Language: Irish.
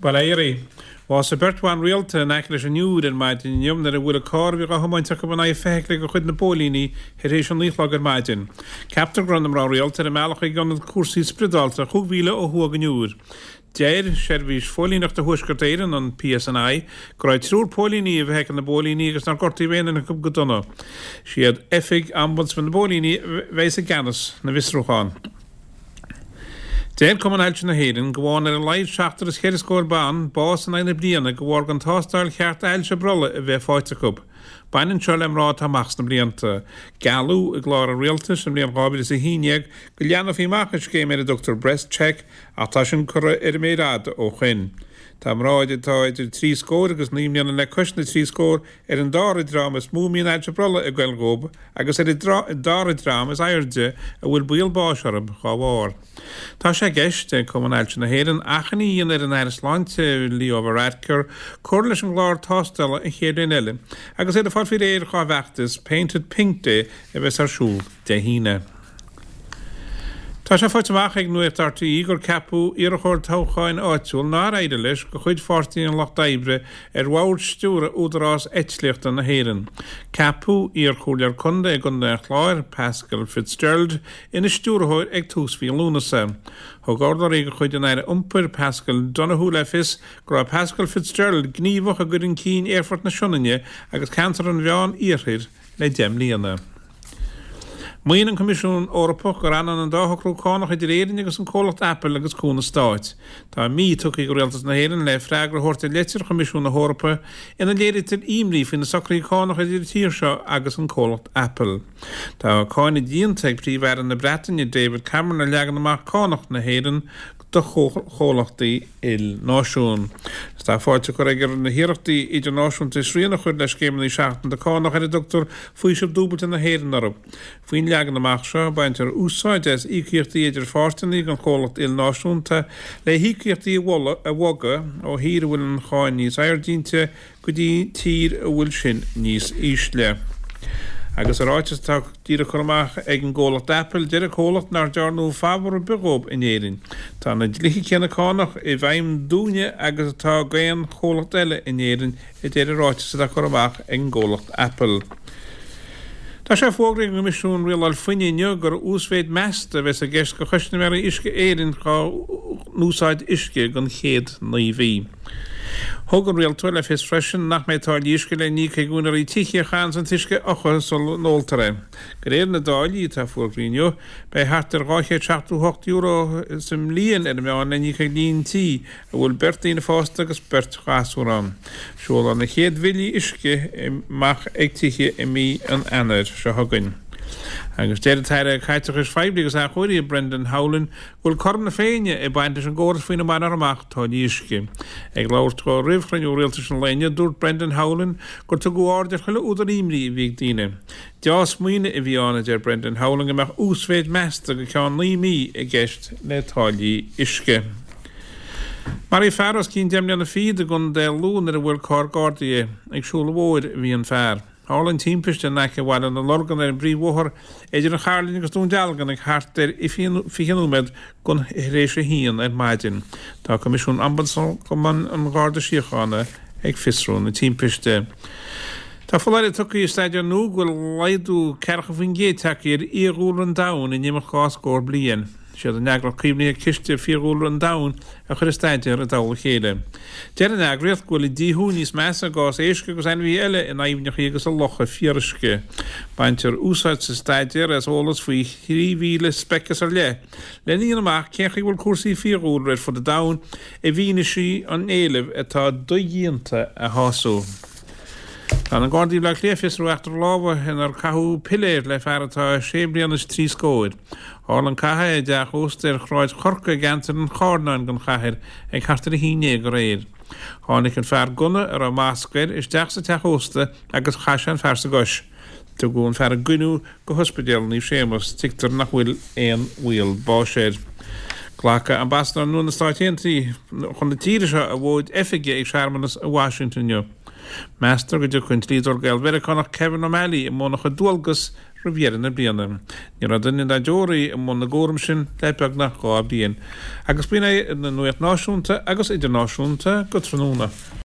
Bail ó Dhia oraibh. Bhásaigh beirt bhan rialta in aice leis an Iúr ar maidin inniu nuair a bhuail carr a bhí á thiomáint acu in aghaidh feithicle de chuid na bpóilíní tar éis a 9 a chlog ar maidin. Ceaptar go raibh na mná rialta ar a mbealach chuig ionad cúrsaí spioradálta chúig mhíle ó thuaidh den Iúr. Deir Seirbhís Phóilíneachta Thuaisceart Éireann, an PSNI, go raibh triúr póilíní i bhfeithicil na bpóilíní agus nár gortaíodh aon duine acu go dona. Is iad Oifig Ombudsman na bPóilíní a bheas i gceannas na bhfiosrúchán. Deir Cumann Ailse na hÉireann go bhfaigheann ar a laghad seachtar is cheithre scór ban bás in aghaidh na bliana de bharr gan tástáil cheart ailse brollaigh a bheith faighte acu. Baineann seo le mná atá amach sna blianta. Gealladh i gclár an Rialtais sa mbliain 2011 go leathnófaí amach an scéim ar a dtugtar Breast Check ach tá sin curtha ar an méar fhada ó shoin. Tá mná atá idir trí scór agus naoi mbliana le cois na trí scór ar an dara dream is mó a mbíonn ailse brollaigh ag goil dhóibh agus ar an dara dream is airde a bhfuil baol báis orthu dhá bharr. Tá sé i gceist ag Cumann Ailse na hÉireann achainí a dhéanamh ar an Aire Sláinte, Leo Varadkar, cur leis an gclár tástála an chéad bhliain eile agus iad ag fáil faoi réir dhá bhfeachtas Paint It Pink Day a bheas ar siúl Dé hAoine. Tá sé faighte amach ag Nuacht RTÉ gur ceapadh iarrthóir toghcháin áitiúil nár éirigh leis de chuid Pháirtí an Lucht Oibre ar bhord stiúrtha Údarás Eitlíochta na hÉireann. Ceapadh iarchomhairleoir contae i gContae an Chláir, Pascal Fitzgerald, ina stiúrthóir ag tús mhí Lúnasa. Thug urlabhraí de chuid an Aire Iompair, Paschal Donohoe le fios go raibh Pascal Fitzgerald gníomhach i gcur chun cinn Aerfort na Sionainne agus ceantar an Mheán-Iarthair le 10 mbliana. Maíonn an Coimisiún Eorpach gur ionann an dá shocrú cánach idir Éirinn agus an comhlacht Apple agus cúnamh stáit. Tá mí tugtha ag Rialtas na hÉireann le freagra a thabhairt ar leitir Choimisiún na hEorpa ina léirítear imní faoi na socruithe cánach idir an tír seo agus an comhlacht Apple. Tá cáineadh déanta ag Príomh-Aire na Breataine David Cameron ar leagan amach cánach na hÉireann do chomhlachtaí ilnáisiún. Tá fáilte curtha aige ar na hiarrachtaí idirnáisiúnta srian a chur le scéimeanna seachanta cánach ar a dtugtar faoiseamh dúbailte na hÉireann orthu. Faoin leagan amach seo, baintear úsáid as íocaíochtaí idir pháirteanna den chomhlacht ilnáisiúnta le híocaíochtaí a bhogadh ó thír a bhfuil an cháin níos airde inti go dtí tír a bhfuil sin níos ísle. Agus i ráiteas atá díreach curtha amach ag an gcomhlacht Apple, deir an comhlacht nár dearnadh fabhar ar bith dhóibh in Éirinn. Tá na dlíthe céanna cánach i bhfeidhm dúinne agus atá d'aon chomhlacht eile in Éirinn, a deir an ráiteas atá curtha amach ag an gcomhlacht Apple. Tá sé fógraithe ag an gCoimisiún Rialáil Fuinnimh inniu gur uasmhéid measta a bheas i gceist do chustaiméirí Uisce Éireann dhá n-úsáid uisce don chéad 9 mhí. Thug an rialtóir le fios freisin nach mbeidh táillí uisce le n-íoc ag úinéirí tithe a chaitheanns an t-uisce a fhiuchadh sula n-óltar é. De réir na dtáillí atá fógraithe inniu, beidh thart ar €278 sa mbliain ar an meán le n-íoc ag líon tí a bhfuil beirt daoine fásta agus beirt ghasúr ann. Seolfar na chéad bhillí uisce amach ag tithe i mí an Eanáir seo chugainn. Agus deir an tAire Caiteachais Phoiblí agus Athchóirithe Brendan Howlin go bhfuil cothrom na Féinne ag baint leis an gcóras faoina mbainfear amach táillí uisce. Ag labhairt dó roimh chruinniú rialtais an lae inniu, dúirt Brendan Howlin gur tugadh aird ar chuile údar imní a bhí ag daoine. Deá-smaoineamh a bhí ann, a deir Brendan Howlin, go mbeadh uasmhéid measta go ceann 9 mí i gceist le táillí uisce. Maraíodh fear os cionn 10 mbliana fichead i gContae Lú nuair a bhuail carr Gardaí é. Ag siúl an bhóthair a bhí an fear. Tharla an timpiste in aice Bhaile na Lorgan ar an bpríomhbhóthar idir an Chairlinn agus Dún Dealgan ag thart ar 20 nóiméad tar éis a haon ar maidin. Tá Coimisiún Ombudsman an Gharda Síochána ag fiosrú na timpiste. Tá foláireamh tugtha i staidéar nua go bhfuil laghdú 40% tagtha ar fhiadhúlra an domhain in imeacht dhá scór bliain. Is iad an eagraíocht caomhnaithe Ciste Fiadhúlra an Domhain a chuir an staidéar i dtoll a chéile. Deir an eagraíocht go bhfuil an díothú níos measa i gcás éisc agus ainmhithe eile in aibhneacha agus i locha fíoruisce. Baintear úsáid sa staidéar as eolas faoi 3,000 speiceas ar leith lena dhéanamh amach cén chaoi a bhfuil cúrsaí fiadhúlra ar fud an domhain i bhfianaise an éilimh atá dodhéanta a shású. Tá na Gardaí i mBleá Cliath ag fiosrú eachtra lámhaigh inar caitheadh piléar le fear atá sé bliana is trí scóir. Tharla an cath i dteach ósta ar Shráid Chorcaí i gceantar an Chairneáin den chathair ag thart ar 11 aréir. Tháinig an fear gunna, a raibh masc air, isteach sa teach ósta agus chaith sé an fear sa gcois. Tugadh an fear i gcoinniú go hOspidéal Naomh Séamus. Tuigtear nach bhfuil aon bhaol báis air. Glacfaidh Ambasadóir nua na Stáit Aontaithe chun na tíre seo a mhóid oifige ag searmanas i Washington inniu. Meastar go dtiocfaidh an dlíodóir Gael-Mheiriceánach Kevin O'Malley i mbun a chuid dualgas. roimh dheireadh na bliana. Ní raibh duine dá dteoraí i mbun na gcúram sin le beagnach 2 bhliain. Agus b'in é an nuacht náisiúnta agus idirnáisiúnta go tráthnóna.